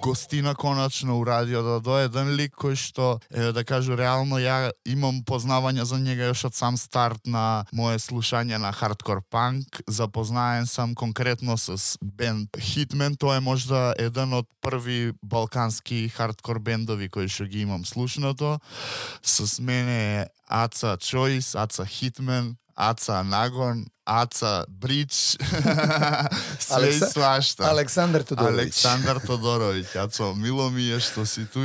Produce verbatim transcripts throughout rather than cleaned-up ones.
гостина конечно урадио да дое еден лик кој што, е, да кажу, реално ја имам познавања за njega još od sam start na moje slušanje na hardcore punk. Запознаен sam konkretno s band Hitman, to je možda jedan od prvi balkanski hardcore bendovi koji što gi imam slušното. S mene je Aca Choice, Aca Hitman, Aca Nagon, Aca Bridge, sve Aleksa- i svašta. Aleksandar Todorović. Aleksandar Todorović. Aco, milo mi je što si tu.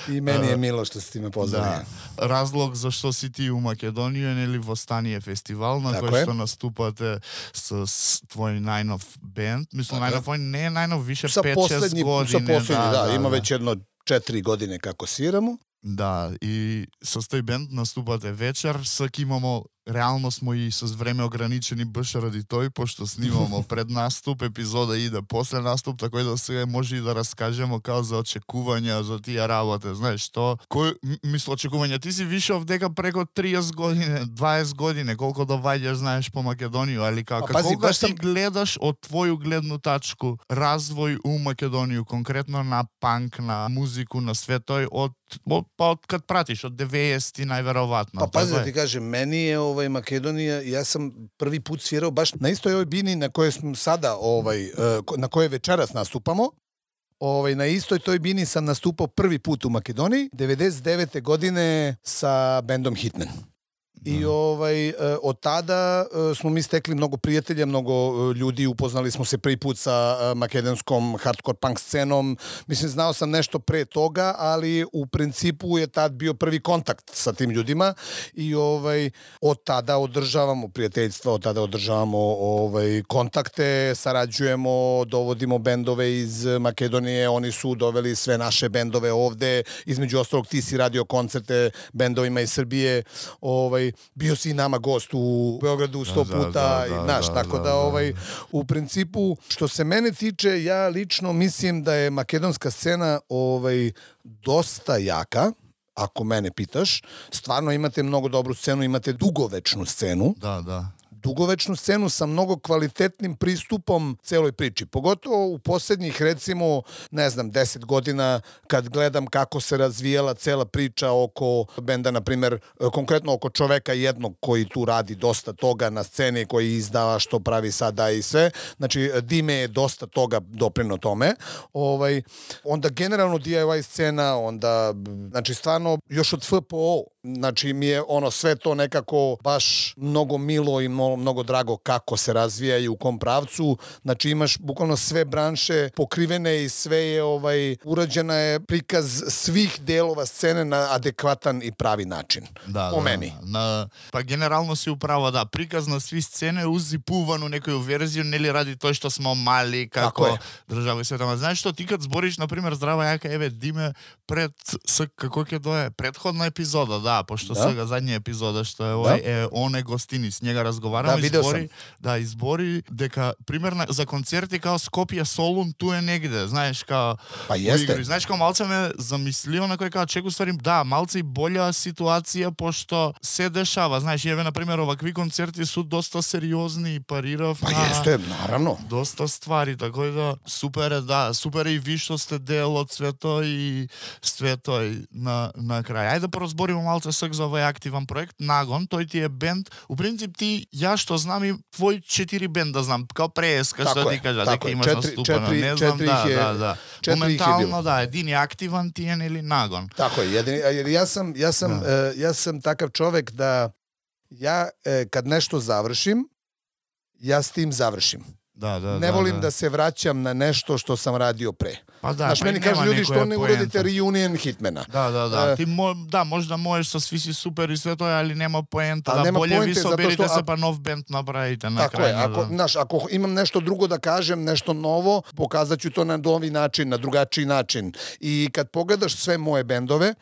I meni je milo što si ti me pozvali. Da. Razlog zašto si ti u Makedoniju je neli Vostanije festival na Tako koji je. što nastupate s, s tvoj najnov band. Mislim, Tako najnov, on ne najnov, više Sa pet šest poslednji, godine. sa poslednji, da, da, ima da. već jedno četiri godine kako sviramo. Da, i sa тој бенд наступате вечер, сак имамо, реално смо и с време ограничени баш ради тој, пошто снимамо пред наступ, епизода иде после наступ, така да сега може и да раскажемо као за очекувања за тие работи, знаеш што? Кој мисло очекувања? Ти си вишов дека преко триесет години, дваесет години, колку доваѓаш знаеш по Македонија, али како пази, кога баш ти сам... гледаш од твоју гледну тачку развој у Македонија, конкретно на панк, на музику, на светој од од па од кад пратиш од деветдесети најверојатно. Pa pazi da ti kažem, meni je ovaj Makedonija, ja sam prvi put svirao baš na istoj ovoj bini na kojoj smo sada, ovaj, na kojoj večeras nastupamo. Ovaj, na istoj toj bini sam nastupao prvi put u Makedoniji, devedeset devete godine sa bendom Hitman. I ovaj, od tada smo mi stekli mnogo prijatelja, mnogo ljudi, upoznali smo se prvi put sa makedonskom hardcore punk scenom. Mislim, znao sam nešto pre toga, ali u principu je tad bio prvi kontakt sa tim ljudima i ovaj, od tada održavamo prijateljstva, od tada održavamo ovaj, kontakte, sarađujemo, dovodimo bendove iz Makedonije, oni su doveli sve naše bendove ovde, između ostalog ti si radio koncerte bendovima iz Srbije, ovaj, bio si i nama gost u Beogradu sto da, puta, da, da, i znaš, da, tako da, da, da, ovaj, u principu, što se mene tiče, ja lično mislim da je makedonska scena ovaj, dosta jaka, ako mene pitaš. Stvarno imate mnogo dobru scenu, imate dugovečnu scenu. Da, da. dugovečnu scenu sa mnogo kvalitetnim pristupom celoj priči. Pogotovo u posljednjih, recimo, ne znam, deset godina, kad gledam kako se razvijala cela priča oko benda, na primer, konkretno oko čoveka jednog koji tu radi dosta toga na sceni, koji izdava što pravi sada i sve. Znači, Dime je dosta toga doprino tome. Ovaj, onda generalno D I Y scena, onda, znači, stvarno, još od F P O, znači, mi je ono sve to nekako baš mnogo milo i mnogo drago kako se razvija i u kom pravcu. Znači, imaš bukvalno sve branše pokrivene i sve je ovaj, urađena je prikaz svih delova scene na adekvatan i pravi način. Da, po da, meni. Na, pa generalno si upravo, da, prikaz na svi scene uzipuvanu некоju verziju, нели ради тоа што смо мали, како држава и света. Знаеш што, ти кад збориш, например, здрава јака, еве, Диме, пред, с, како ќе дое, предходна епизода, да, пошто да? сега задња епизода, што е овај, да? Е, он е гостини, с njega разговарам, да, избори, да, избори, дека, примерно, за концерти као Скопје, Солун, ту е негде, знаеш, као, па јесте. Знаеш, као малце ме замислио на кој као чеку ствари, да, малце и болја ситуација, пошто се дешава, знаеш, еве, например, овакви концерти су доста сериозни и парирав па на... јесте, наравно. Доста ствари, така да, супер е, да, супер е и ви што сте дел од свето и свето на, на крај. Ајде да поразбориме малце сак за овој активен проект, Нагон, тој ти е бенд, у принцип ти, ја што знам и твој четири бенда знам, као преска што ти кажа, дека имаш наступано, не знам, да, е, да, да. Моментално, да, един е активен ти е, нели, Нагон. Тако е, едини, jer ja sam, ja sam, да. uh, ja sam takav čovek da ja, uh, kad nešto završim, ja s tim završim. Da, da, ne da, volim da. da se vraćam na nešto što sam radio pre. Pa da, znaš, pa meni kažu ljudi što ne uradite reunion Hitmana. Da, da, da. Uh, Ti mo, da, možda можеш со сви си супер и све тоа, али нема поента. Да, нема болje поенте, ви соберите што, се па нов бенд направите на така крај. Е, ако, да. Знаš, ako imam nešto drugo da kažem, nešto novo, pokazaću to na novi način, na drugačiji način. I kad pogledaš sve moje bendove,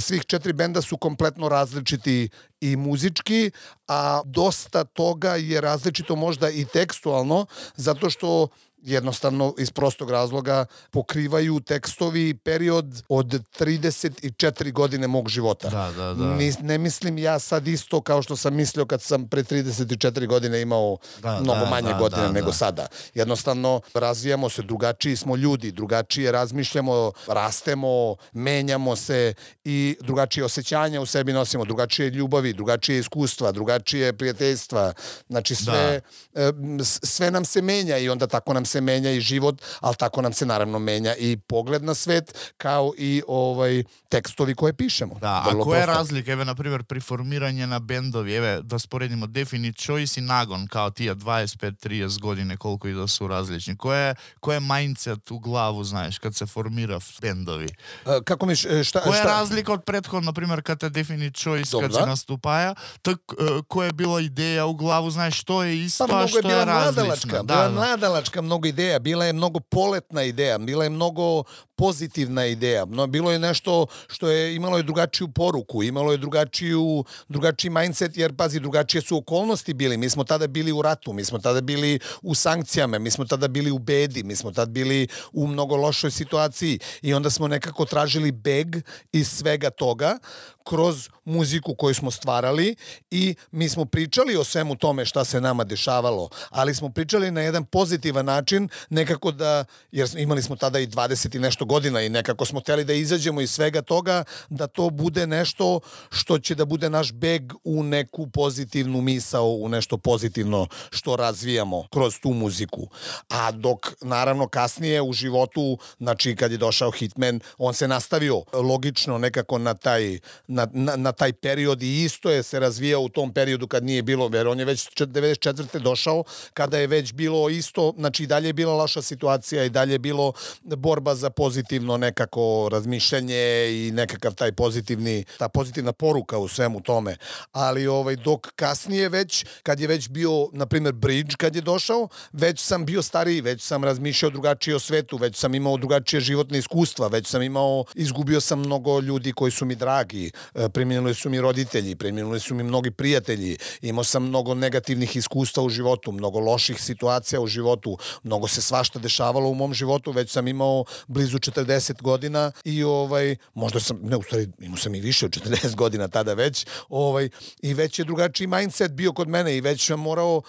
svih četiri benda su kompletno različiti i muzički, a dosta toga je različito možda i tekstualno, zato što jednostavno iz prostog razloga pokrivaju tekstovi period od trideset četiri godine mog života. Da, da, da. Ni, ne mislim ja sad isto kao što sam mislio kad sam pre trideset četiri godine imao da, mnogo da, manje da, godina da, nego da. sada. Jednostavno razvijamo se, drugačiji smo ljudi, drugačije razmišljamo, rastemo, menjamo se i drugačije osjećanja u sebi nosimo, drugačije ljubavi, drugačije iskustva, drugačije prijateljstva. Znači sve, da. sve nam se menja i onda tako nam se menja i život, ali tako nam se naravno menja i pogled na svet kao i ovaj tekstovi koje pišemo. Da, Vrlo a koja je prosto. razlika, evo, na primjer, pri formiranju na bendovi, evo, da sporedimo Definite Choice i Nagon, kao tija dvadeset pet trideset godine, koliko i da su različni. Koje, koje mindset u glavu, znaš, kad se formira bendovi? A, kako mi, šta, koja je šta? razlika od prethodno, na primjer, kad je Definite Choice, Dobra. kad se nastupaja, tak, uh, koja je bila ideja u glavu, znaš, što je isto, Pa a mnogo što je bila je različno. mladalačka, Da, bila da. mladalačka mnogo ideja, bila je mnogo poletna ideja, bila je mnogo pozitivna ideja, no, bilo je nešto što je imalo je drugačiju poruku, imalo je drugačiju, drugačiji mindset, jer pazi, drugačije su okolnosti bili, mi smo tada bili u ratu, mi smo tada bili u sankcijama, mi smo tada bili u bedi, mi smo tada bili u mnogo lošoj situaciji i onda smo nekako tražili beg iz svega toga kroz muziku koju smo stvarali i mi smo pričali o svemu tome šta se nama dešavalo, ali smo pričali na jedan pozitivan način, nekako da, jer imali smo tada i dvadeset i nešto godina i nekako smo hteli da izađemo iz svega toga, da to bude nešto što će da bude naš beg u neku pozitivnu misao, u nešto pozitivno što razvijamo kroz tu muziku. A dok, naravno, kasnije u životu, znači kad je došao Hitman, on se nastavio logično nekako na taj Na, na, na taj period i isto je se razvijao u tom periodu kad nije bilo, jer on je već devedeset četvrte došao, kada je već bilo isto, znači i dalje je bila loša situacija i dalje je bilo borba za pozitivno nekako razmišljanje i nekakav taj pozitivni, ta pozitivna poruka u svemu tome. Ali ovaj, dok kasnije već, kad je već bio, na primjer, Bridge kad je došao, već sam bio stariji, već sam razmišljao drugačije o svetu, već sam imao drugačije životne iskustva, već sam imao, izgubio sam mnogo ljudi koji su mi dragi, preminuli su mi roditelji, preminuli su mi mnogi prijatelji, imao sam mnogo negativnih iskustva u životu, mnogo loših situacija u životu, mnogo se svašta dešavalo u mom životu, već sam imao blizu četrdeset godina i ovaj, možda sam, ne, u stvari, imao sam i više od četrdeset godina tada već, ovaj, i već je drugačiji mindset bio kod mene i već sam morao,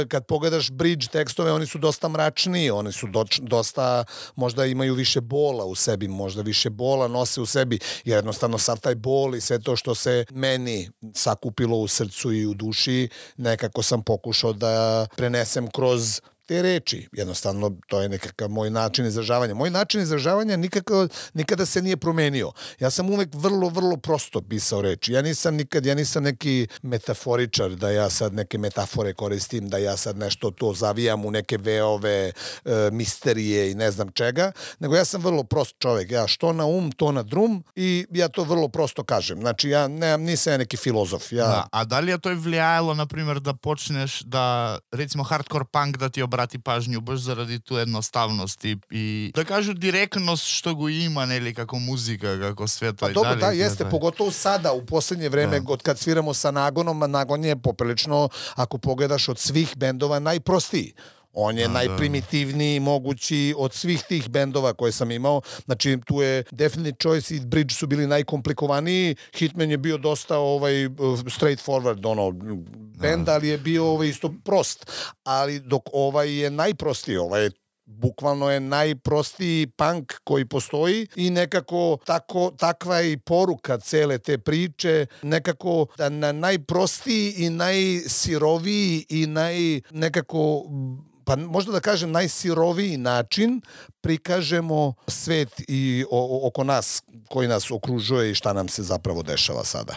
kad pogledaš Bridge tekstove, oni su dosta mračniji, oni su do, dosta, možda imaju više bola u sebi, možda više bola nose u sebi, jer jednostavno sav taj bol i sve to što se meni sakupilo u srcu i u duši, nekako sam pokušao da prenesem kroz te reči. Jednostavno, to je nekakav moj način izražavanja. Moj način izražavanja nikako, nikada se nije promenio. Ja sam uvek vrlo, vrlo prosto pisao reči. Ja nisam nikad, ja nisam neki metaforičar, da ja sad neke metafore koristim, da ja sad nešto to zavijam u neke veove, e, misterije i ne znam čega, nego ja sam vrlo prost čovek. Ja što na um, to na drum i ja to vrlo prosto kažem. Znači, ja ne, nisam ja neki filozof. Ja... Da, a da li je to vlijajalo, na primjer, da počneš da, recimo, hardcore punk da ti obrati pažnju baš zaradi tu jednostavnost i, i da kažu direktnost što go ima, neli, kako muzika, kako sve to. Pa dobro, dalje, da, jeste, da. pogotovo sada, u posljednje vreme, Da. od kad sviramo sa Nagonom, a Nagon je poprilično, ako pogledaš od svih bendova, najprostiji. On je Da, najprimitivniji mogući od svih tih bendova koje sam imao. Znači, tu je Definite Choice i Bridge su bili najkomplikovaniji. Hitman je bio dosta ovaj straight forward ono, bend, ali je bio ovaj isto prost. Ali dok ovaj je najprostiji, ovaj je bukvalno je najprostiji punk koji postoji i nekako tako, takva je i poruka cele te priče, nekako da na najprostiji i najsiroviji i naj nekako, pa možda da kažem najsiroviji način prikažemo svet i o, oko nas koji nas okružuje i šta nam se zapravo dešava sada.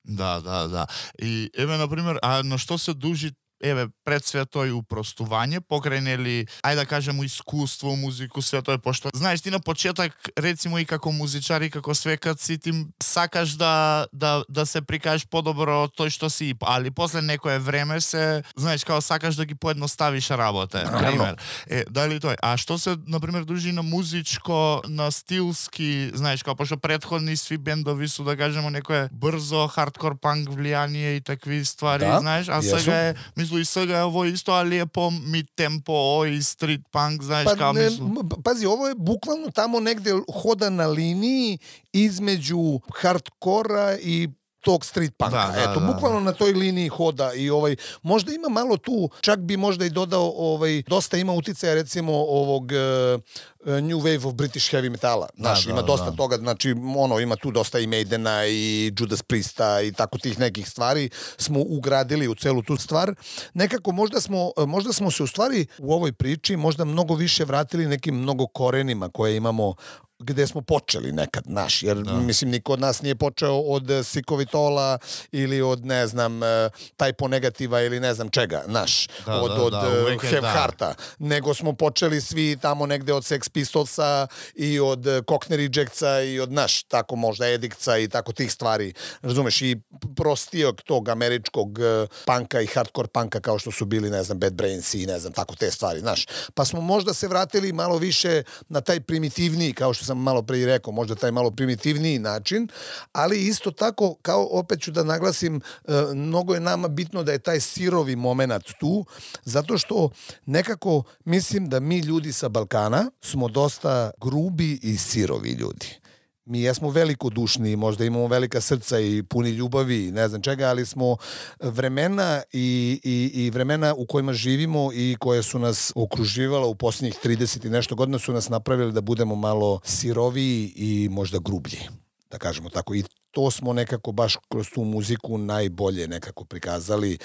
Da, da, da. I evo, na primjer, a na što se duži Еве, пред све тој упростување, покрај нели, ајде да кажемо искуство, музику, све тоа, пошто знаеш ти на почеток, рецимо и како музичар и како свекат си ти сакаш да да да се прикажеш подобро од тој што си, али после некое време се, знаеш, као сакаш да ги поедноставиш работа, на пример. Е, дали тој? А што се на пример дружи на музичко, на стилски, знаеш, као пошто претходни сви бендови су, да кажемо, некое брзо хардкор панк влијание и такви ствари, да, знаеш, а јесу. сега е, мислам, мислу и сега ово исто, али е по мид темпо, ој стрит панк, знаеш, Pa, као ne, мислу. m- pazi, ovo je bukvalno tamo negde hoda na liniji između hardkora i tog street punka. Da, da, Eto, da, bukvalno na toj liniji hoda i ovaj, možda ima malo tu, čak bi možda i dodao, ovaj, dosta ima uticaja recimo ovog uh, New Wave of British Heavy Metala. Znaš, da, ima dosta da. toga, znači, ono, ima tu dosta i Maidena i Judas Priesta i tako tih nekih stvari smo ugradili u celu tu stvar. Nekako možda smo, možda smo se u stvari u ovoj priči možda mnogo više vratili nekim mnogo korenima koje imamo gde smo počeli nekad, naš, jer Da. mislim niko od nas nije počeo od eh, Sikovitola ili od, ne znam, eh, Typo Negativa ili ne znam čega, naš, Da, od, da, od da, eh, uvek je Have da. Hearta, nego smo počeli svi tamo negde od Sex Pistolsa i od eh, Cockney Rejectsa i od, naš, tako možda Edictsa i tako tih stvari, razumeš, i prostijog tog američkog eh, panka i hardcore panka kao što su bili, ne znam, Bad Brains i ne znam, tako te stvari, znaš. Pa smo možda se vratili malo više na taj primitivniji, kao što sam malo pre i rekao, možda taj malo primitivniji način, ali isto tako, kao opet ću da naglasim, e, mnogo je nama bitno da je taj sirovi moment tu, zato što nekako mislim da mi ljudi sa Balkana smo dosta grubi i sirovi ljudi. Mi jesmo velikodušni, možda imamo velika srca i puni ljubavi, ne znam čega, ali smo vremena i, i, i vremena u kojima živimo i koje su nas okruživala u posljednjih trideset i nešto godina su nas napravili da budemo malo siroviji i možda grublji, da kažemo tako. I to smo nekako baš kroz tu muziku najbolje nekako prikazali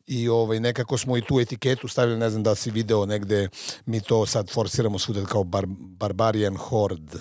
i ovaj, nekako smo i tu etiketu stavili, ne znam da si video negde, mi to sad forsiramo svuda kao bar, Barbarian Horde.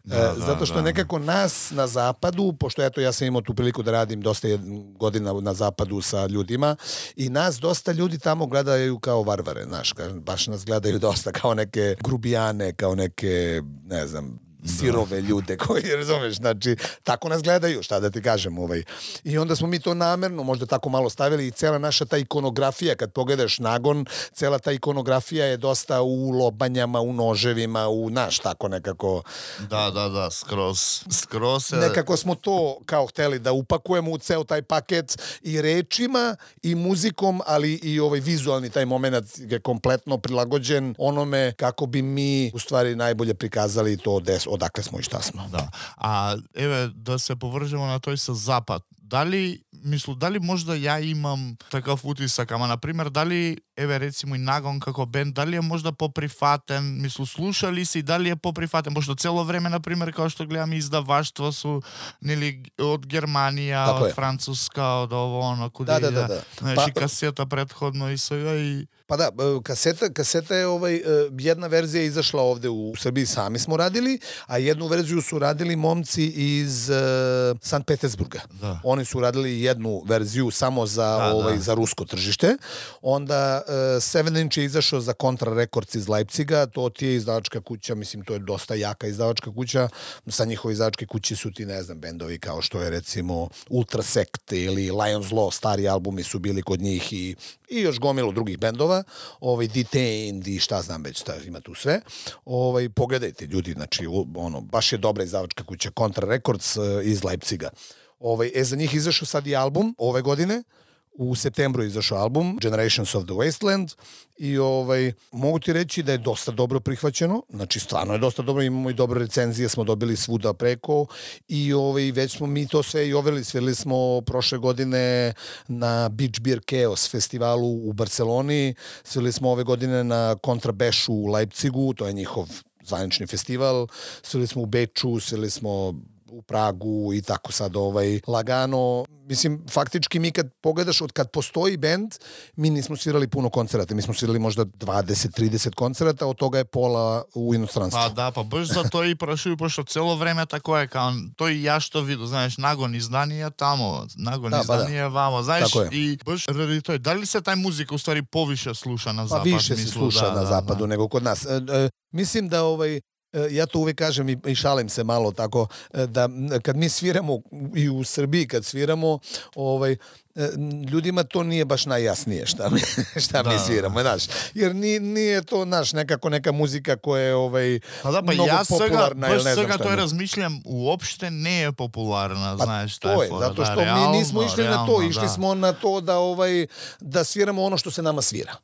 Da, E, da, zato što da. nekako nas na zapadu, pošto eto ja sam imao tu priliku da radim dosta godina na zapadu sa ljudima i nas dosta ljudi tamo gledaju kao varvare, znaš, baš nas gledaju dosta kao neke grubijane, kao neke, ne znam, sirove ljude koji, razumeš, znači, tako nas gledaju, šta da ti kažem, ovaj. I onda smo mi to namerno možda tako malo stavili i cela naša ta ikonografija, kad pogledaš Nagon, cela ta ikonografija je dosta u lobanjama, u noževima, u, naš, tako nekako. Da, da, da, skroz. Skroz je... Nekako smo to kao hteli da upakujemo u ceo taj paket i rečima i muzikom, ali i ovaj vizualni taj moment je kompletno prilagođen onome kako bi mi u stvari najbolje prikazali to des, odakle smo i šta smo. Да. А еве да се повржемо на тој со запад. Дали мислу дали можда ја имам такав утисак, ама на пример дали еве рецимо и Нагон како бенд, дали е можда поприфатен, мислу слушали си, дали е поприфатен, пошто цело време на пример као што гледам издаваштва су нели од Германија, Тако од е. Француска, од ово оно куде Да, да, иде. да, да. Знаеш, Па- и касета предходно и сега и Pa da, e, kaseta, kaseta je ovaj, e, jedna verzija je izašla ovde u Srbiji, sami smo radili, a jednu verziju su radili momci iz e, Sankt Petersburga. Da. Oni su radili jednu verziju samo za, Da, ovaj, da. za rusko tržište. Onda e, Seven Inch je izašao za Contra Records iz Leipziga, to ti je izdavačka kuća, mislim to je dosta jaka izdavačka kuća, sa njihove izdavačke kuće su ti, ne znam, bendovi kao što je recimo Ultrasect ili Lions Law, stari albumi su bili kod njih i, i još gomilu drugih bendova, ovaj Detained i šta znam već, šta ima tu sve. Ovaj pogledajte ljudi, znači u- ono baš je dobra izdavačka kuća Contra Records eh, iz Leipziga. Ovaj e za njih izašao sad i album ove godine. U septembru je izašao album Generations of the Wasteland i ovaj mogu ti reći da je dosta dobro prihvaćeno, znači stvarno je dosta dobro, imamo i dobre recenzije, smo dobili svuda preko i ovaj već smo mi to sve i overili, svirali smo prošle godine na Beach Beer Chaos festivalu u Barceloni, svirali smo ove godine na Kontrabashu u Leipzigu, to je njihov zvanični festival, svirali smo u Beču, svirali smo u Pragu i tako sad ovaj lagano. Mislim, faktički mi kad pogledaš od kad postoji bend, mi nismo svirali puno koncerata. Mi smo svirali možda dvadeset trideset koncerata, od toga je pola u inostranstvu. Па да, па баш за тоа и прашувам, пошто цело време тако е, као тој ја што виду, знаеш, Нагон изданија тамо, Нагон Да, па да. изданија вамо, знаеш, Тако е. и баш ради тој, дали се тај музика уствари повише слуша на Pa запад? više se мислу, sluša да, na да, zapadu да. nego kod nas. E, e, mislim da ovaj ja to uvijek kažem i, i šalim se malo tako, da kad mi sviramo i u Srbiji, kad sviramo, ovaj, ljudima to nije baš najjasnije šta mi, šta da, mi sviramo, znaš. Jer nije, nije to, naš, nekako neka muzika koja je ovaj, pa da, pa mnogo ja popularna. Baš svega to je razmišljam, uopšte ne je popularna, pa znaš. To je, fora, zato što da, realno, mi nismo išli realno, na to, išli da. smo na to da, ovaj, da sviramo ono što se nama svira.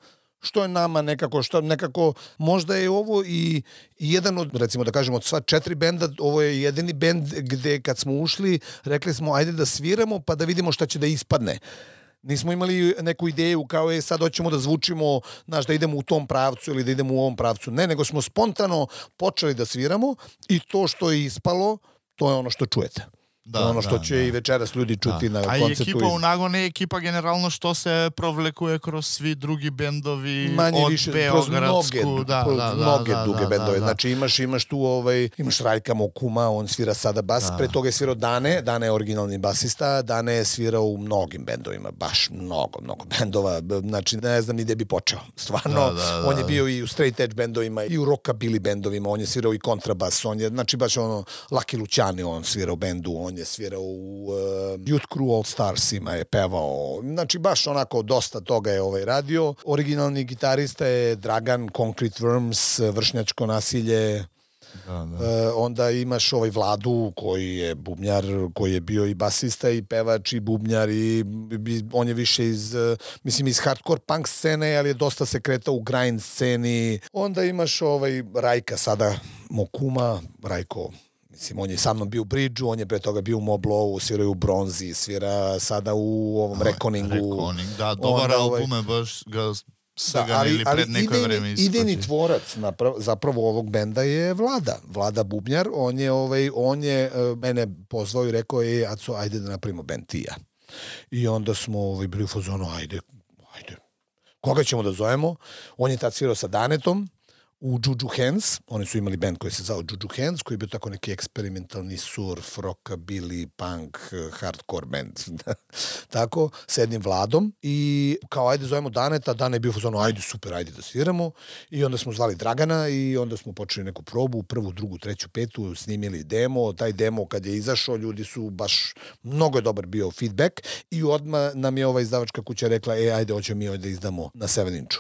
Što je nama nekako, što nekako, možda je ovo i jedan od, recimo da kažemo, od sva četiri benda, ovo je jedini bend gde kad smo ušli, rekli smo ajde da sviramo pa da vidimo šta će da ispadne. Nismo imali neku ideju kao je sad hoćemo da zvučimo, znaš, da idemo u tom pravcu ili da idemo u ovom pravcu. Ne, nego smo spontano počeli da sviramo i to što je ispalo, to je ono što čujete. Da, ono što da, će da. i večeras ljudi čuti da. na koncertu. A ekipa u Nagon je ekipa generalno što se provlekuje kroz svi drugi bendovi manje od više, Beogradsku. Mnoge, da, da, mnoge da, duge da, bendove. Da, da. Znači imaš, imaš tu ovaj, imaš Rajka Mokuma, on svira sada bas, da. pre toga je svirao Dane, Dane je originalni basista, Dane je svirao u mnogim bendovima, baš mnogo, mnogo bendova, znači ne znam ni gde bi počeo. Stvarno, da, da, da, on je bio i u straight edge bendovima, i u rockabilly bendovima, on je svirao i kontrabas, on je, znači baš ono, Lucky Luciani on svirao bendu, on je svirao u Uh, Youth Crew All Starsima je pevao, znači baš onako dosta toga je ovaj radio. Originalni gitarista je Dragan Concrete Worms, Vršnjačko nasilje. Da, da. Uh, onda imaš ovaj Vladu koji je bubnjar, koji je bio i basista i pevač i bubnjar i, i on je više iz, uh, mislim iz hardcore punk scene, ali je dosta se kretao u grind sceni. Onda imaš ovaj Rajka sada Mokuma, Rajko Mislim, on je sa mnom bio u Bridge-u, on je pre toga bio u Moblovu, svira u Bronzi, svira sada u ovom Reckoningu. Reckoning, da, dobar album je baš ga saganili da, pred neko vreme iskoči. Idejni tvorac naprav, zapravo ovog benda je Vlada, Vlada Bubnjar, on je, ovaj, on je uh, mene pozvao i rekao, je, Aco, ajde da napravimo bend ti ja. I onda smo ovaj, bili u fazonu, ajde, ajde, koga ćemo da zovemo? On je tad svirao sa Danetom, u Juju Hands, oni su imali band koji se zvao Juju Hands, koji je bio tako neki eksperimentalni surf, rockabilly, punk, hardcore band. Tako, sa jednim Vladom i kao ajde zovemo Daneta, Dane je bio fazonu ajde super, ajde da sviramo i onda smo zvali Dragana i onda smo počeli neku probu, prvu, drugu, treću, petu, snimili demo, taj demo kad je izašao, ljudi su baš, mnogo je dobar bio feedback i odmah nam je ova izdavačka kuća rekla, e ajde hoćemo mi ovdje da izdamo na sedam inču.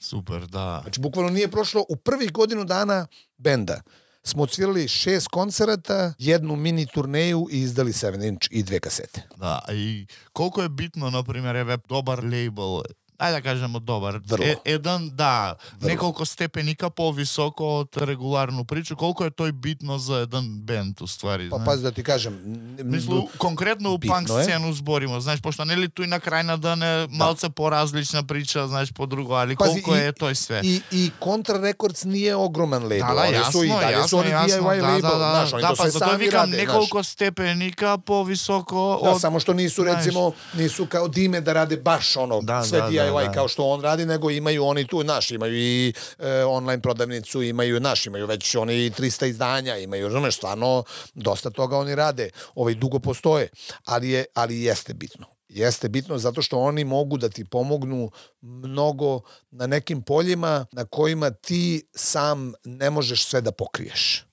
Super, da. Znači, bukvalno nije prošlo u prvih godinu dana benda. Smo odsvirali šest koncerata, jednu mini turneju i izdali sedam inč i dve kasete. Da, i koliko je bitno, na primjer, je dobar label, ajde da kažemo dobar, e, jedan, da, Vrlo. nekoliko stepenika po-visoko od regularnu priču, koliko je to i bitno za jedan band u stvari, pa, znaš? Pa pazi da ti kažem. Mislim, konkretno u punk scenu zborimo, znaš, pošto ne li tu i na kraj na dane malce porazlična priča, znaš, po drugo, ali pazi, koliko i, je to i sve. I, i Contra Records nije ogroman label. Da, da, jasno, su i dalje jasno, su oni jasno, D I Y da, label, da, da, znaš, oni da, to pa sve zato sami vikam rade, nekoliko stepenika po-visoko. Da, od, samo što nisu, znaš, recimo, nisu kao Dime da rade baš ono, da, sve da, D I Y da, da. kao što on radi, nego imaju oni tu, naš, imaju i e, online prodavnicu, imaju naš, imaju već oni trista izdanja, imaju, razumeš, stvarno, dosta toga oni rade, ovaj, dugo postoje, ali, je, ali jeste bitno. Jeste bitno zato što oni mogu da ti pomognu mnogo na nekim poljima na kojima ti sam ne možeš sve da pokriješ.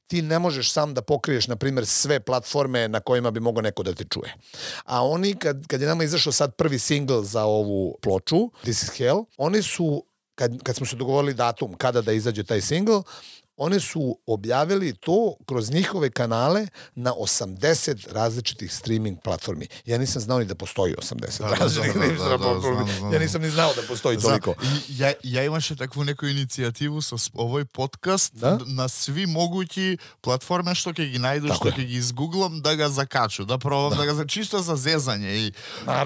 Ti ne možeš sam da pokriješ, na primjer, sve platforme na kojima bi mogao neko da te čuje. A oni, kad, kad je nama izašao sad prvi single za ovu ploču, This is Hell, oni su, kad, kad smo se dogovorili datum kada da izađe taj single, oni su objavili to kroz njihove kanale na osamdeset različitih streaming platformi. Ja nisam znao ni da postoji osamdeset da, različitih da, da, da, platformi. da, da, da. Ja nisam ni znao da postoji Zna, toliko. Ja, ja imaše takvu neku inicijativu sa ovoj podcast da? na svi mogući platforme što ke gi najdu, Tako što ke gi izgooglam, da ga zakaču, da probam, da, da ga čisto za zezanje. I,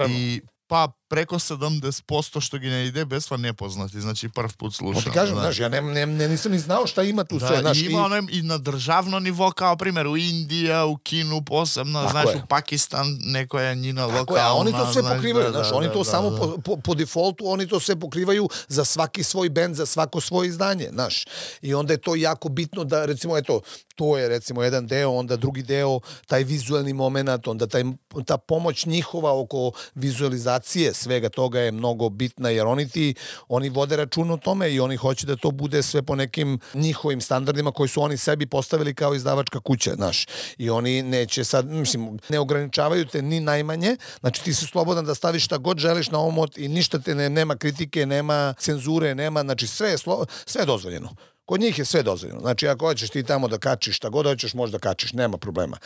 i pa preko sedamdeset posto što gi ne ide besva nepoznati, znači prv put slušam. Pa ti kažem, znaš, ja ne, ne, ne, nisam ni znao šta ima tu da, sve. Znaš, i ima ono i na državno nivo, kao primjer u Indija, u Kinu posebno, znaš, je. u Pakistan neko je njina lokalna. Tako je, a oni to sve znaš, pokrivaju, da, znaš, da, oni to da, samo da. Po, po, po defaultu, oni to sve pokrivaju za svaki svoj bend, za svako svoje izdanje, znaš. I onda je to jako bitno da, recimo, eto, to je recimo jedan deo, onda drugi deo, taj vizualni moment, onda taj, ta pomoć njihova oko vizualizacije svega toga je mnogo bitna, jer oni ti, oni vode račun o tome i oni hoće da to bude sve po nekim njihovim standardima koji su oni sebi postavili kao izdavačka kuća, znaš. I oni neće sad, mislim, ne ograničavaju te ni najmanje, znači ti si slobodan da staviš šta god želiš na omot i ništa te ne, nema kritike, nema cenzure, nema, znači sve je, slo, sve je dozvoljeno. Kod njih je sve dozvoljeno. Znači, ako hoćeš ti tamo da kačiš šta god hoćeš, možda kačiš, nema problema.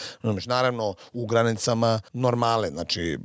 Naravno, u granicama normale, znači,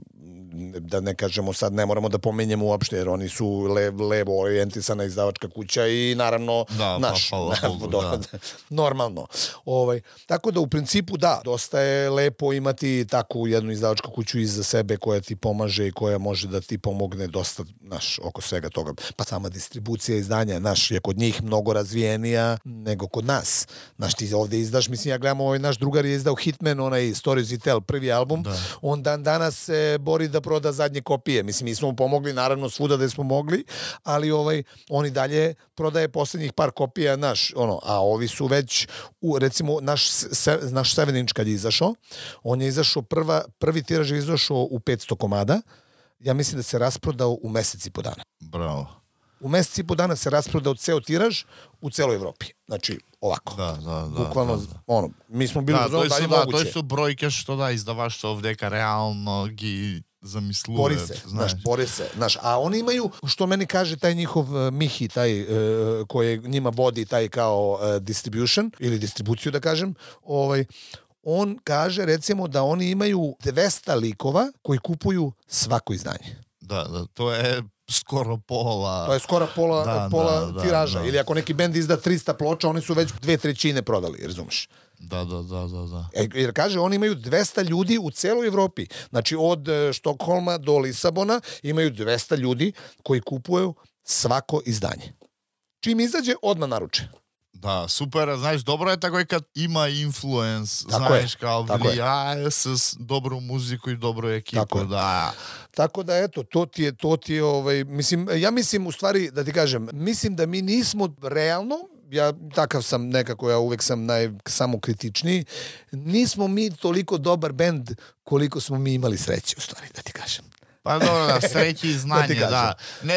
da ne kažemo sad, ne moramo da pomenjemo uopšte, jer oni su le, levo orijentisana izdavačka kuća i naravno da, naš, pa, pa, Bogu, do, da. normalno. Ovaj, tako da u principu da, dosta je lepo imati takvu jednu izdavačku kuću iza sebe koja ti pomaže i koja može da ti pomogne dosta, naš, oko svega toga. Pa sama distribucija izdanja, naš, je kod njih mnogo razvijenija nego kod nas. Naš, ti ovde izdaš, mislim, ja gledam, ovaj naš drugar je izdao Hitman, onaj Stories We Tell, prvi album, da. On dan danas se bori da proda zadnje kopije. Mislim, mi smo mu pomogli, naravno, svuda da smo mogli, ali ovaj, on i dalje prodaje poslednjih par kopija, naš, ono, a ovi su već, u, recimo, naš, se, naš seven inch kad je izašao, on je izašao, prva, prvi tiraž je izašao u petsto komada, ja mislim da se rasprodao u meseci po dana. Bravo. U meseci po dana se rasprodao ceo tiraž u celoj Evropi. Znači, ovako. Da, da, da. Bukvalno, da, da. ono, mi smo bili da, u zonu da je da, moguće. To su brojke što da izdavaštvo ovdeka realno gi zamisluje. Bori se, znaš, bori se. Znaš, a oni imaju, što meni kaže taj njihov uh, Mihi, taj uh, koji njima vodi taj kao uh, distribution, ili distribuciju da kažem, ovaj, on kaže recimo da oni imaju dvesta likova koji kupuju svako izdanje. Da, da, to je skoro pola... To je skoro pola, da, pola da, tiraža. da. Ili ako neki bend izda trista ploča, oni su već dve trećine prodali, razumeš? Da, da, da, da, da. E, jer kaže, oni imaju dvesta ljudi u celoj Evropi. Znači, od e, Štokholma do Lisabona imaju dvesta ljudi koji kupuju svako izdanje. Čim izađe, odmah naruče. Da, super, znaš, dobro je tako i kad ima influence, tako znaš, je, kao влияе с dobru muziku i dobru ekipu, tako da. Tako da, eto, to ti je, to ti je, ovaj, mislim, ja mislim, u stvari, da ti kažem, mislim da mi nismo realno, ja takav sam nekako, ja uvek sam naj, samokritičniji, nismo mi toliko dobar bend koliko smo mi imali sreće, u stvari, da ti kažem. Pa dobro, da, sreći i znanje, da, da. Ne,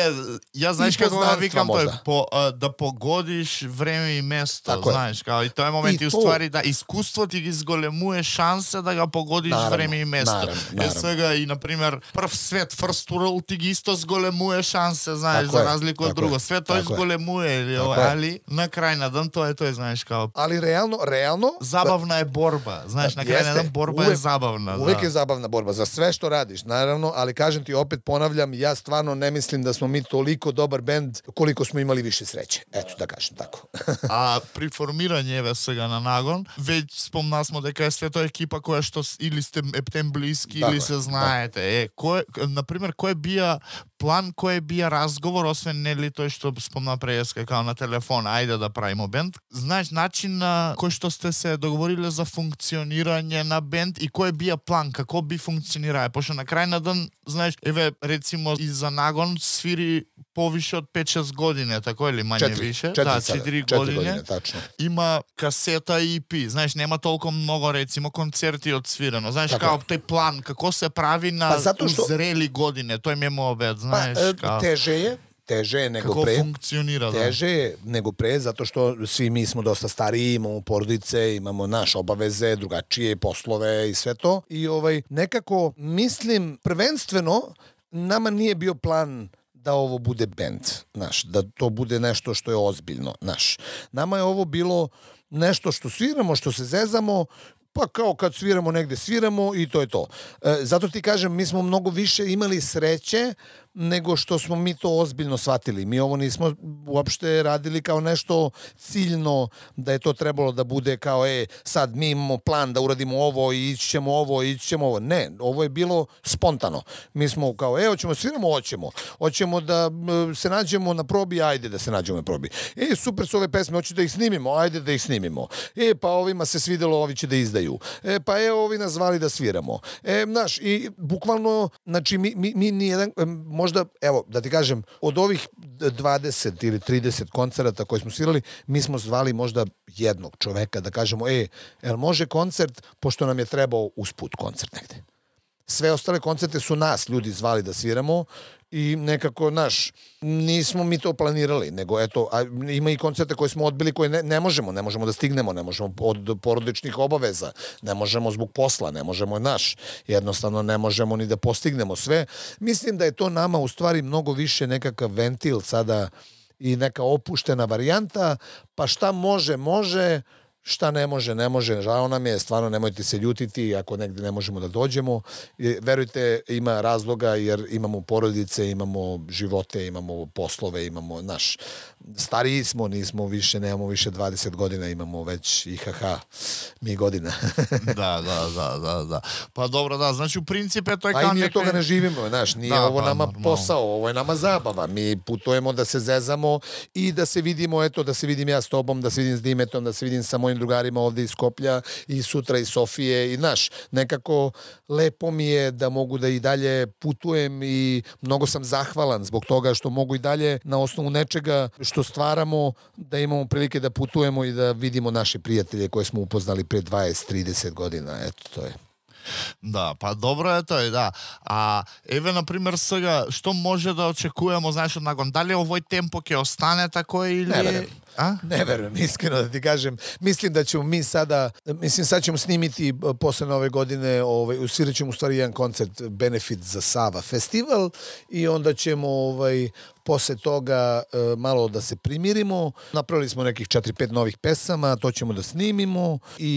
ja znaš kako da vikam to je, po, uh, da pogodiš vreme i mesto, tako znaš, kao i to je moment i, i u stvari da iskustvo ti izgolemuje šanse da ga pogodiš naravno, vreme i mesto. Naravno, naravno. Jer svega i, na primjer, prv svet, first world ti isto zgolemuje šanse, znaš, tako za razliku od drugo. Sve to izgolemuje, ili, ali na kraj na dan to je, to je, znaš, kao... Ali realno, realno... Zabavna je borba, znaš, na kraj na dan borba uvek, je zabavna. Uvek da. je zabavna borba, za sve što radiš, naravno, ali kažem ti, opet ponavljam, ja stvarno ne mislim da smo mi toliko dobar bend koliko smo imali više sreće. Eto, da kažem tako. A pri formiranju evo сега na Nagon, već spomna smo дека je sve to ekipa koja što ili ste eptem bliski tako ili se знаете. Е, кој, например, кој бија план, кој бија разговор, освен нели тој што спомна преска као на телефон, ајде да правиме бенд. Знаеш начин на кој што сте се договориле за функционирање на бенд и кој бија план, како би функционирае, пошто на крај на ден, знаеш, еве рецимо и за Нагон свири повише од пет-шест години, тако или мање четири, више? четири, да, четири години. години, тачно. Има касета и и пи, знаеш, нема толку многу рецимо концерти одсвирено. Знаеш, така. Као тој план како се прави на па, што... узрели години, тој ми е мојот, знаеш, па, као... теже е, teže je nego kako pre. Kako funkcionira, da. Teže je nego pre, zato što svi mi smo dosta stariji, imamo porodice, imamo naše obaveze, drugačije poslove i sve to. I ovaj nekako, mislim, prvenstveno, nama nije bio plan da ovo bude bend, naš, da to bude nešto što je ozbiljno, naš. Nama je ovo bilo nešto što sviramo, što se zezamo, pa kao kad sviramo negde sviramo i to je to. E, zato ti kažem, mi smo mnogo više imali sreće nego što smo mi to ozbiljno shvatili. Mi ovo nismo uopšte radili kao nešto ciljno, da je to trebalo da bude kao, e, sad mi imamo plan da uradimo ovo i ići ćemo ovo i ići ćemo ovo. Ne, ovo je bilo spontano. Mi smo kao, e, hoćemo sviramo, hoćemo. Hoćemo da se nađemo na probi, ajde da se nađemo na probi. E, super su ove pesme, hoće da ih snimimo, ajde da ih snimimo. E, pa ovima se svidelo, ovi će da izdaju. E, pa e, ovi nas zvali da sviramo. E, znaš, i bukvalno, znači, mi, mi, mi nijedan, možda, evo, da ti kažem, od ovih dvadeset ili trideset koncerata koje smo svirali, mi smo zvali možda jednog čoveka da kažemo, e, jel može koncert, pošto nam je trebao usput koncert negde. Sve ostale koncerte su nas ljudi zvali da sviramo i nekako, naš, nismo mi to planirali, nego eto, a ima i koncerte koje smo odbili, koje ne, ne možemo, ne možemo da stignemo, ne možemo od porodičnih obaveza, ne možemo zbog posla, ne možemo, naš, jednostavno ne možemo ni da postignemo sve. Mislim da je to nama u stvari mnogo više nekakav ventil sada i neka opuštena varijanta, pa šta može, može, šta ne može, ne može, žao nam je, stvarno nemojte se ljutiti ako negde ne možemo da dođemo. Verujte, ima razloga jer imamo porodice, imamo živote, imamo poslove, imamo naš, stariji smo, nismo više, nemamo više dvadeset godina, imamo već I H H mi godina. da, da, da, da, da. Pa dobro, da, znači u principe to je kao nekaj... A i mi od nekaj... toga ne živimo, znaš, nije da, ovo pa, nama normalno. Posao, ovo je nama zabava. Mi putujemo da se zezamo i da se vidimo, eto, da se vidim ja s tobom, da se vidim s Dimetom, da se vidim sa mojim drugarima ovde iz Skoplja i sutra iz Sofije i, znaš, nekako lepo mi je da mogu da i dalje putujem i mnogo sam zahvalan zbog toga što mogu i dalje na osnovu nečega što stvaramo da imamo prilike da putujemo i da vidimo naše prijatelje koje smo upoznali pre dvadeset trideset godina. Eto, to je. Да, па добро е тој, да. А еве на пример сега што може да очекуваме, знаеш, од нагон, дали овој темпо ќе остане тако или Не веруjem. А? Ne verujem, iskreno da ti kažem. Mislim da ćemo mi sada, mislim sad ćemo snimiti posle nove godine, ovaj, usvirat ćemo u stvari jedan koncert benefit za Sava festival i onda ćemo ovaj, posle toga e, malo da se primirimo. Napravili smo nekih četiri pet novih pesama, to ćemo da snimimo i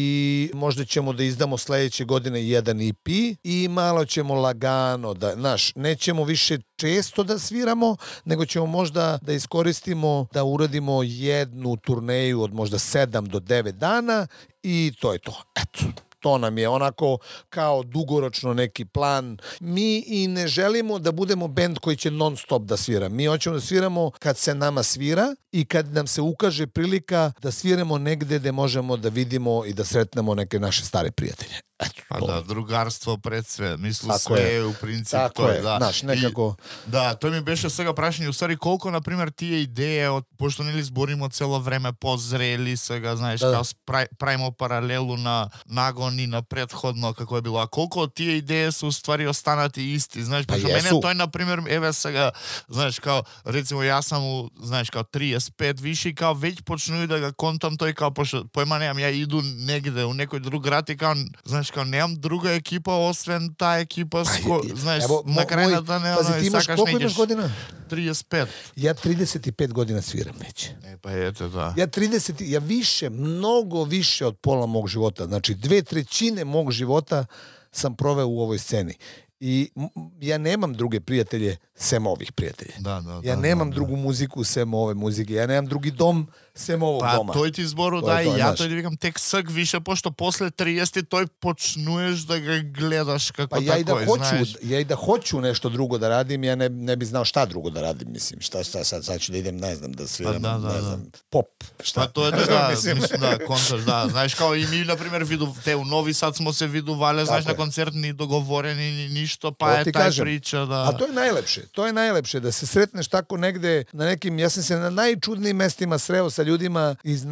možda ćemo da izdamo sledeće godine jedan E P i malo ćemo lagano da, znaš, nećemo više često da sviramo, nego ćemo možda da iskoristimo da uradimo jednu turneju od možda sedam do devet dana i to je to. Eto. To nam je onako kao dugoročno neki plan. Mi i ne želimo da budemo bend koji će non stop da svira. Mi hoćemo da sviramo kad se nama svira i kad nam se ukaže prilika da sviramo negde gde možemo da vidimo i da sretnemo neke naše stare prijatelje. Eto, Pa to. да, другарство пред све. Мислам, Тако све е. е у принцип Тако тој, е, да. знаеш, некако... И, да, тој ми беше сега прашање, усари колку, например, тие идеи, од, пошто нели зборимо цело време позрели сега, знаеш, Да. као спрај, правимо паралелу на нагон и на предходно, како е било. А колку од тие идеи се уствари останати исти, знаеш, Па пошто мене јесу. тој, например, еве сега, знаеш, као, рецимо, јас сам, у, знаеш, као триесет пет више и као веќе почнуи да го контам тој, као, пошто, појма немам, ја иду негде, у некој друг град и као, знаеш, као, немам друга екипа, освен таа екипа, ско, знаеш, Ево, на мо- крај на мој- ден, пази, ти имаш, сакаш колку не имаш идеш година? триесет пет. Ja trideset i pet godina sviram već. Е, па ете, да. Ja trideset, ja više, mnogo više od pola mog života, znači dve trećine mog života sam proveo u ovoj sceni. I m- ja nemam druge prijatelje sem ovih prijatelja. Да, да, Ja да, nemam да, drugu muziku sem ove muzike. Ja nemam drugi dom sem ovog Па doma. тој ти збору, Тоа да, е и тоа, ја знаеш. тој да викам тек сак више, пошто после триесет тој почнуеш да го гледаш како Pa ja i da такој, hoću, знаеш. ja i da hoću nešto drugo da radim, ja ne, ne bi znao šta drugo da radim, mislim. Šta, šta sad, sad ću da idem, ne znam, da sviram, Pa da, da, ne da. znam, pop. Šta? Па тоа е тоа, да, Мислим. мислам, да, концерт, да. Знаеш, као и ми, например, виду, те у Нови Сад смо се видувале, знаеш, Тако на е. концерт ни договорени, ни ништо, па To е ti тај kažem. прича, да. A to je najlepše. To je najlepše da se sretneš tako negde na nekim, ja sam se na najčudnijim mestima sreo sa ljudima iz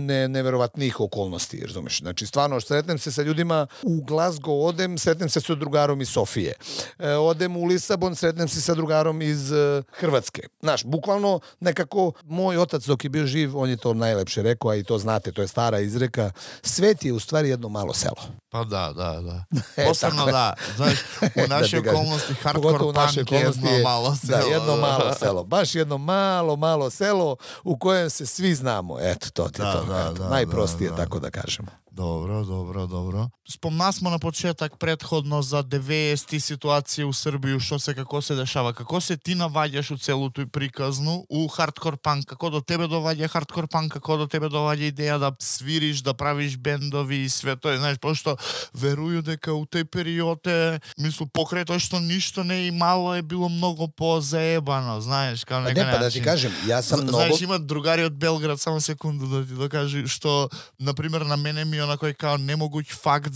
najneverovatnijih okolnosti, razumeš? Znači, stvarno, sretnem se sa ljudima u Glasgow, odem, sretnem se sa drugarom iz Sofije. E, odem u Lisabon, sretnem se sa drugarom iz e, Hrvatske. Znaš, bukvalno nekako moj otac dok je bio živ, on je to najlepše rekao, a i to znate, to je stara izreka, svet je u stvari jedno malo selo. Па да, да, да. Е, Посебно тако е. да, знаеш, у наши Да ти кажем. околности Pogotovo u хардкор naše панк е okolnosti едно je- мало село. Da, jedno malo selo. Baš jedno malo, malo selo u kojem se svi znamo. Eto, to ti je Da, to. da, Eto, da, najprostije, da, da. tako da kažemo. Добро, добро, добро. Спомна смо на почеток предходно за деветдесети ситуација у Србија, што се како се дешава. Како се ти наваѓаш у целото и приказну у хардкор панк? Како до тебе доваѓа хардкор панк? Како до тебе доваѓа идеја да свириш, да правиш бендови и све тоа? Знаеш, пошто верую дека у тој период е, мислу, покрај тоа што ништо не е имало, е било многу позаебано, знаеш, као Pa нека ne, pa da ti начин. kažem, ja sam Зна- mnogo... Знаеш, има другари од Белград, само секунду да ти докажи, што, например, на мене ми onako kao nemoguć fakt,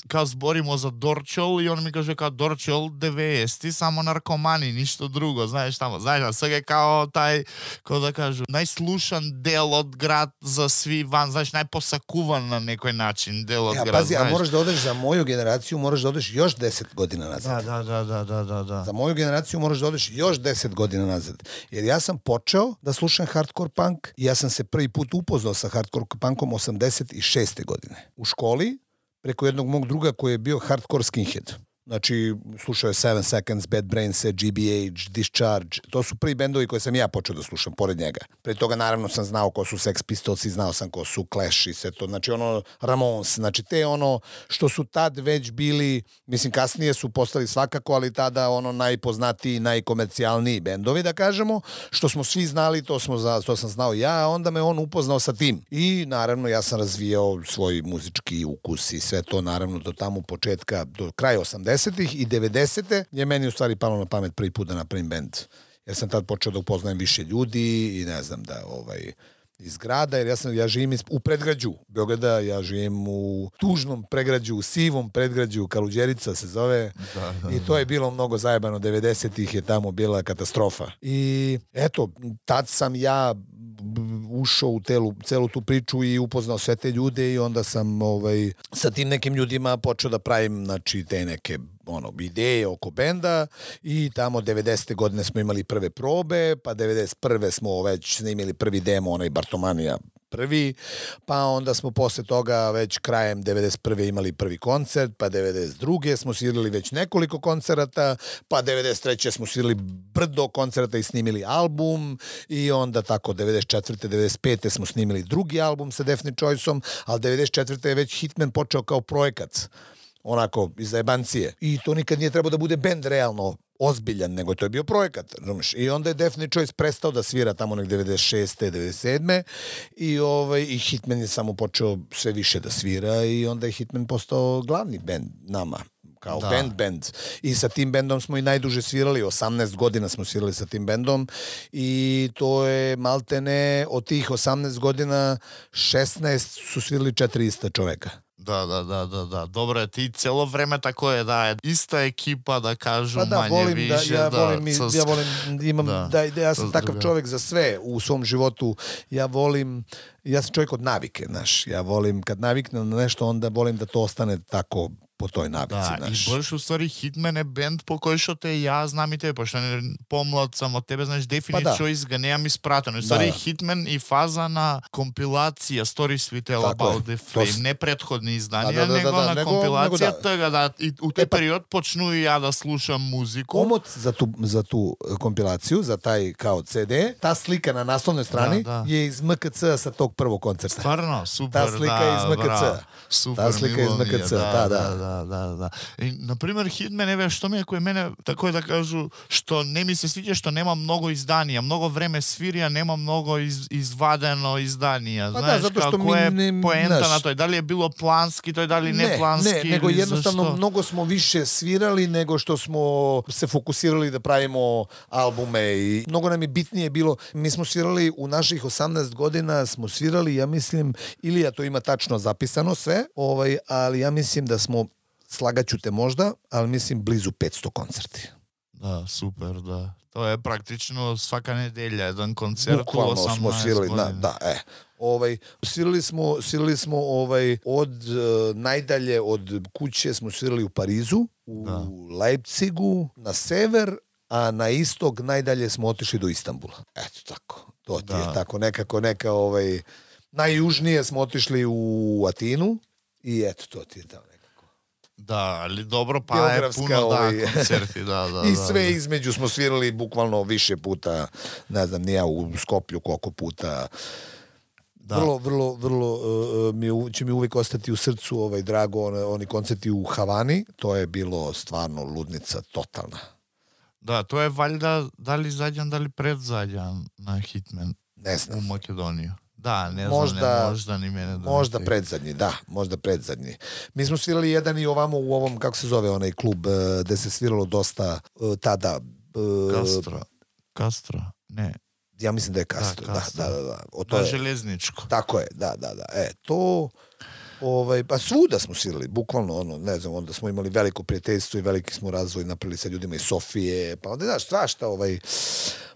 kao zborimo za Dorčol i on mi kaže kao Dorčol devedeset samo narkomani, ništa drugo, знаеш tamo, знаеш, а сега kao taj, kao da kažu, najslušan del od grad za svi van, znaš, najposakuvan na nekoj način del od ja, grad, pazi, znaš. a moraš da odeš za moju generaciju, moraš da odeš još deset godina nazad. Da, da, da, da, da, da. Za moju generaciju moraš da odeš još deset godina nazad. Jer ja sam počeo da slušam hardcore punk i ja sam se prvi put upoznao sa hardcore punkom osamdeset šeste godine. U školi, preko jednog mog druga koji je bio hardcore skinhead. Znači, slušao je Seven Seconds, Bad Brains, G B H, Discharge. To su prvi bendovi koje sam ja počeo da slušam, pored njega. Pre toga, naravno, sam znao ko su Sex Pistols i znao sam ko su Clash i sve to. Znači, ono, Ramones. Znači, te ono što su tad već bili, mislim, kasnije su postali svakako, ali tada ono najpoznatiji, najkomercijalniji bendovi, da kažemo. Što smo svi znali, to, smo za, to sam znao ja, a onda me on upoznao sa tim. I, naravno, ja sam razvijao svoj muzički ukus i sve to, naravno, do tamo početka, do kraja osamdesetih i devedesete je meni u stvari palo na pamet prvi put da napravim bend. Jer sam tad počeo da upoznajem više ljudi i ne znam da ovaj iz grada, jer ja sam ja živim u predgrađu Beograda, ja živim u tužnom predgrađu, u sivom predgrađu Kaluđerica se zove. Da, da, i to je bilo mnogo zajebano, devedesetih je tamo bila katastrofa. I eto, tad sam ja ušao u telu, celu tu priču i upoznao sve te ljude i onda sam ovaj, sa tim nekim ljudima počeo da pravim, znači, te neke ono, ideje oko benda i tamo devedesete godine smo imali prve probe, pa devedeset prve smo već snimili prvi demo, onaj Bartomanija prvi, pa onda smo posle toga već krajem devedeset prve imali prvi koncert, pa devedeset druge smo svirali već nekoliko koncerata, pa devedeset treće smo svirali brdo koncerata i snimili album i onda tako devedeset četvrte devedeset pete smo snimili drugi album sa Deafening Choiceom, ali devedeset četvrte je već Hitman počeo kao projekat, onako iz zajebancije. I to nikad nije trebao da bude bend realno ozbiljan, nego to je bio projekat, razumiješ? I onda je Deafening Choice prestao da svira tamo nek devedeset šeste devedeset sedme i ovaj i Hitman je samo počeo sve više da svira i onda je Hitman postao glavni bend nama, kao da. band band. I sa tim bendom smo i najduže svirali, osamnaest godina smo svirali sa tim bendom i to je maltene od tih osamnaest godina šesnaest su svirali četiri ista čoveka. Da, da, da, da, da. Dobro je, ti celo vreme tako je, da je ista ekipa, da kažu pa da, manje volim više. Da, ja, da, volim, sa, ja volim, imam, da, da, da ja sam takav druga. čovjek za sve u svom životu. Ja volim, ja sam čovjek od navike, znaš. Ja volim, kad naviknem na nešto, onda volim da to ostane tako po toj navici, da, znaš. I boljš u stvari Hitman je bend po koji što te ja znam i tebe, pošto ne pomlad sam od tebe, znaš, Deafening pa Choice ga nemam isprateno. U stvari da. Hitman i faza na kompilacija Stories We Tell tako About je. the Flame, s... ne prethodni izdanja, da, da, da, nego da, na nego, kompilacija nego da. toga, da, i u taj e, pa... period počnu i ja da slušam muziku. Omot za tu, za tu kompilaciju, za taj kao ce de, ta slika na naslovnoj strani da, da. je iz em ka ce sa tog prvog koncerta. Stvarno, super, ta slika da, je iz em ka ce. Bravo, super, ta slika je iz em ka ce, da, da, da, da, da, da. I, na primjer, Hitman, ne što mi je koje mene, tako je da kažu, što ne mi se sviđa što nema mnogo izdanija, mnogo vreme svirija, nema mnogo iz, izvadeno izdanija. Pa znaš, da, zato što kako je mi, poenta naš... na toj, da li je bilo planski, to je da li ne, ne planski. Ne, nego jednostavno zašto? mnogo smo više svirali nego što smo se fokusirali da pravimo albume i mnogo nam je bitnije bilo, mi smo svirali u naših osamnaest godina, smo svirali, ja mislim, Ilija to ima tačno zapisano sve, ovaj, ali ja mislim da smo, slagaću te možda, ali mislim blizu petsto koncerti. Da, super, da. To je praktično svaka nedelja, jedan koncert u Bukvalno osamnaest smo svirali, godina. da, da, e. Ovaj, svirali smo, svirali smo ovaj, od uh, najdalje od kuće smo svirali u Parizu, u da. Leipzigu, na sever, a na istog najdalje smo otišli do Istanbula. Eto tako, to ti da. je tako nekako neka, ovaj, najjužnije smo otišli u Atinu i eto, to ti je tamo. Da, ali dobro, pa je puno ovaj... da, koncerti, da, da. I da, sve da. između smo svirali bukvalno više puta, ne znam, nija u Skoplju koliko puta. Da. Vrlo, vrlo, vrlo uh, mi, će mi uvijek ostati u srcu ovaj drago, on, oni koncerti u Havani, to je bilo stvarno ludnica totalna. Da, to je valjda, da li zadnjan, da li predzadnjan na Hitman ne znam. U Makedoniju. Da, ne možda, znam, ne, možda ni mene. Da možda predzadnji, da, možda predzadnji. Mi smo svirali jedan i ovamo u ovom, kako se zove onaj klub, uh, gde se sviralo dosta uh, tada. Uh, Castro. Castro, ne. Ja mislim da je Castro, da, da, da, da. da. O, to da je železničko. Tako je, da, da, da. E, to... Ovaj, pa svuda smo svirali, bukvalno, ono, ne znam, onda smo imali veliko prijateljstvo i veliki smo razvoj napravili sa ljudima iz Sofije, pa onda, znaš, svašta, ovaj,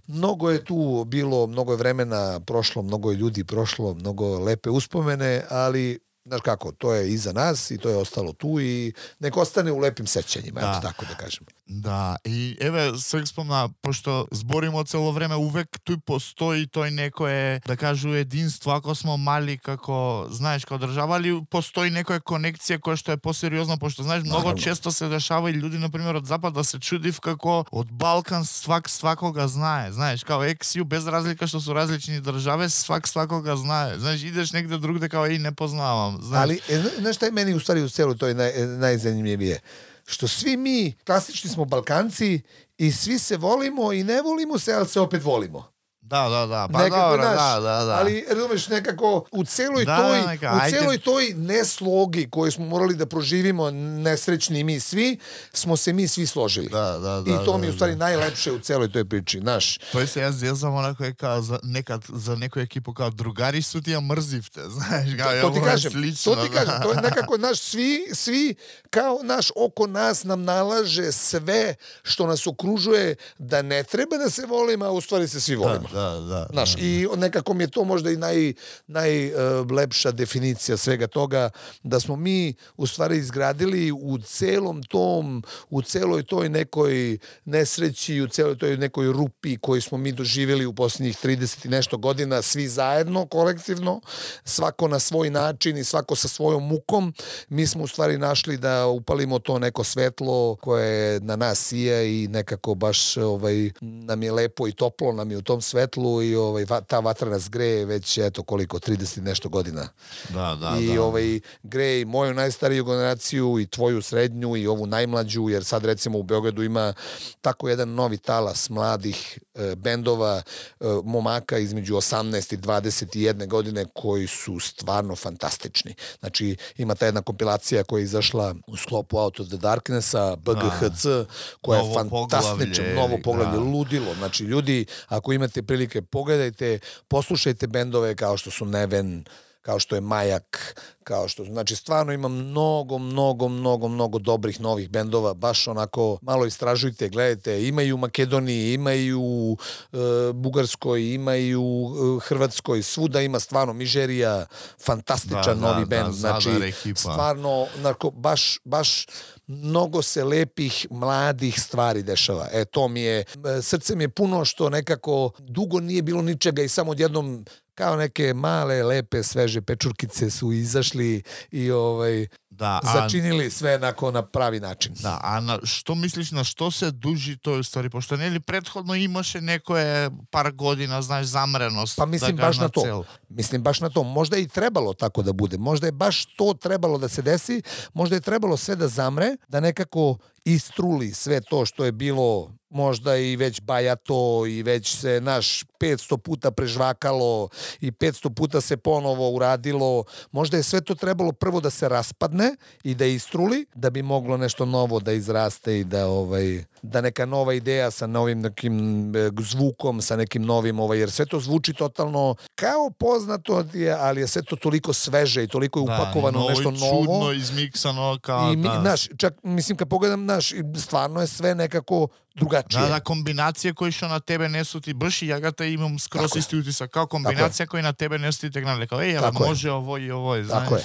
mnogo je tu bilo, mnogo je vremena prošlo, mnogo je ljudi prošlo, mnogo lepe uspomene, ali znaš kako, to je iza nas i to je ostalo tu i nek ostane u lepim sećanjima, eto tako da kažem. Da, i еве сега спомна, пошто зборимо цело време, увек туј постои тој некое, да кажу, единство, ако смо мали како, знаеш, како држава, али постои некоја конекција која што е посериозна, пошто знаеш, многу Наравно. често се дешава и луѓе, например, од Запад да се чудив како од Балкан свак свакога знае, знаеш, као ексиу, без разлика што су различни држави, свак свакога знае, знаеш, идеш негде другде, као и не познавам, знаеш. Ali, e, znaš šta je meni u stvari u celu toj naj, najzanimljivije? Što svi mi, klasični smo Balkanci i svi se volimo i ne volimo se, ali se opet volimo. Da, da, da, pa nekako, dobro, naš, da, da, da. Ali, razumeš, nekako, u celoj Da, toj, da, neka, u ajde. celoj toj neslogi koju smo morali da proživimo, nesrećni mi svi, smo se mi svi složili. Da, da, da, I to da, mi je u da. stvari najlepše u celoj toj priči, znaš. Тој се јас зезам онако е као за некад за некој екипу као другари су ти ја мрзивте, знаеш, као To ti ovo je kažem, слично, to ti да. kažem, to je nekako naš, svi, svi kao naš oko nas nam nalaže sve što nas okružuje da ne treba da se volimo, a u stvari se svi volimo. Da, da, da. Znaš, i nekako mi je to možda i naj, najlepša definicija svega toga, da smo mi u stvari izgradili u celom tom, u celoj toj nekoj nesreći, u celoj toj nekoj rupi koju smo mi doživjeli u posljednjih trideset i nešto godina, svi zajedno, kolektivno, svako na svoj način i svako sa svojom mukom, mi smo u stvari našli da upalimo to neko svetlo koje na nas sija i nekako baš ovaj, nam je lepo i toplo nam je u tom svetlu i ovaj, va, ta vatra nas greje već eto koliko, trideset i nešto godina. Da, da, I da. ovaj, greje i moju najstariju generaciju i tvoju srednju i ovu najmlađu, jer sad recimo u Beogradu ima tako jedan novi talas mladih e, bendova, e, momaka između osamnaest i dvadeset jedne godine koji su stvarno fantastični. Znači ima ta jedna kompilacija koja je izašla u sklopu Out of the Darknessa, B G H C, koja Novo je fantastična, poglavlje, novo poglavlje, da. ludilo. Znači ljudi, ako imate prilike, pogledajte, poslušajte bendove kao što su Neven, kao što je Majak, kao što, znači stvarno ima mnogo, mnogo, mnogo, mnogo dobrih novih bendova, baš onako malo istražujte, gledajte, imaju u Makedoniji, imaju u e, Bugarskoj, imaju u Hrvatskoj, svuda ima stvarno Mižerija, fantastičan Da, da, novi da, bend, Zadar znači ekipa. stvarno, onako, baš, baš mnogo se lepih, mladih stvari dešava. E, to mi je, srce mi je puno što nekako dugo nije bilo ničega i samo odjednom kao neke male, lepe, sveže pečurkice su izašli i ovaj, Da, a, začinili sve onako na pravi način. да, а на што мислиш, на што се дужи тој ствари, пошто нели претходно имаше некое пар година, знаеш, замреност. Pa mislim да baš кажа, na to. цел. Mislim baš na to. Možda je i trebalo tako da bude. Možda je baš to trebalo da se desi. Možda je trebalo sve da zamre, da nekako istruli sve to što je bilo možda i već bajato i već se naš petsto puta prežvakalo i petsto puta se ponovo uradilo. Možda je sve to trebalo prvo da se raspadne i da istruli, da bi moglo nešto novo da izraste i da ovaj da neka nova ideja sa novim nekim zvukom, sa nekim novim, ovaj, jer sve to zvuči totalno kao poznato je, ali je sve to toliko sveže i toliko je upakovano novo nešto i novo. čudno, izmiksano, kao I mi, da. naš, čak, mislim, kad pogledam, naš, stvarno je sve nekako drugačije. Да, да, комбинација кои што на тебе не су ти баш и јагата имам скрос Тако е. исти утисак, као комбинација кои на тебе не су ти тегнале, као еј, Тако е. може овој и овој, знаеш. Тако е.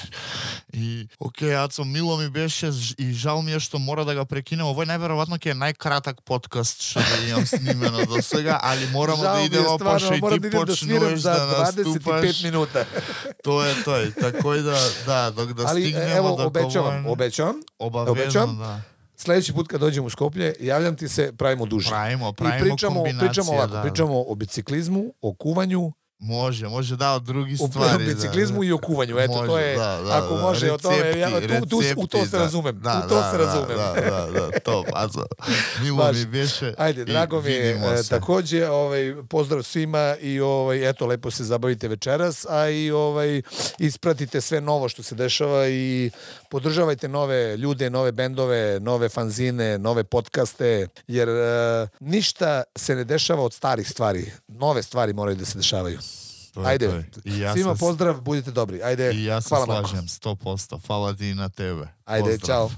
И окей, Ацо, мило ми беше ж- и жал ми е што мора да го прекинем. Овој најверојатно ќе е најкратак подкаст што да имам снимено до сега, али морамо Žao да mi je идемо stvarno, пошто и moram ти da idem da sviram почнуваш za да dvadeset i pet наступаш. minuta. Тоа е тој, тако и да, да, док да Ali стигнемо evo, до obećavam, obećavam, Обавезно, obećavam. да. Sledeći put kad dođem u Skoplje, javljam ti se, pravimo duže. Правимо, I правимо pričamo, комбинација, pričamo ovako, да. pričamo o biciklizmu, o kuvanju, Може, може да, од други o ствари. biciklizmu да. i o kuvanju. Eto, Може, to je, да, да, ako да. može o tome, ja, tu, tu, u to рецепти, se razumem. Да, u to да, se razumem. Да, да, да, топ. Азо, мило Baš. ми беше. Ajde, и drago mi je видимо e, се. takođe, ovaj, pozdrav svima i ovaj, eto, lepo se zabavite večeras, a i ovaj, ispratite sve novo što se dešava i podržavajte nove ljude, nove bendove, nove fanzine, nove podcaste, jer e, ništa se ne dešava od starih stvari. Nove stvari moraju da se dešavaju. To je, Ajde, to je. I ja svima se- pozdrav, budite dobri. Ajde, I ja se hvala Marko. slažem sto posto. Hvala ti i na tebe. Ajde, Pozdrav. čao.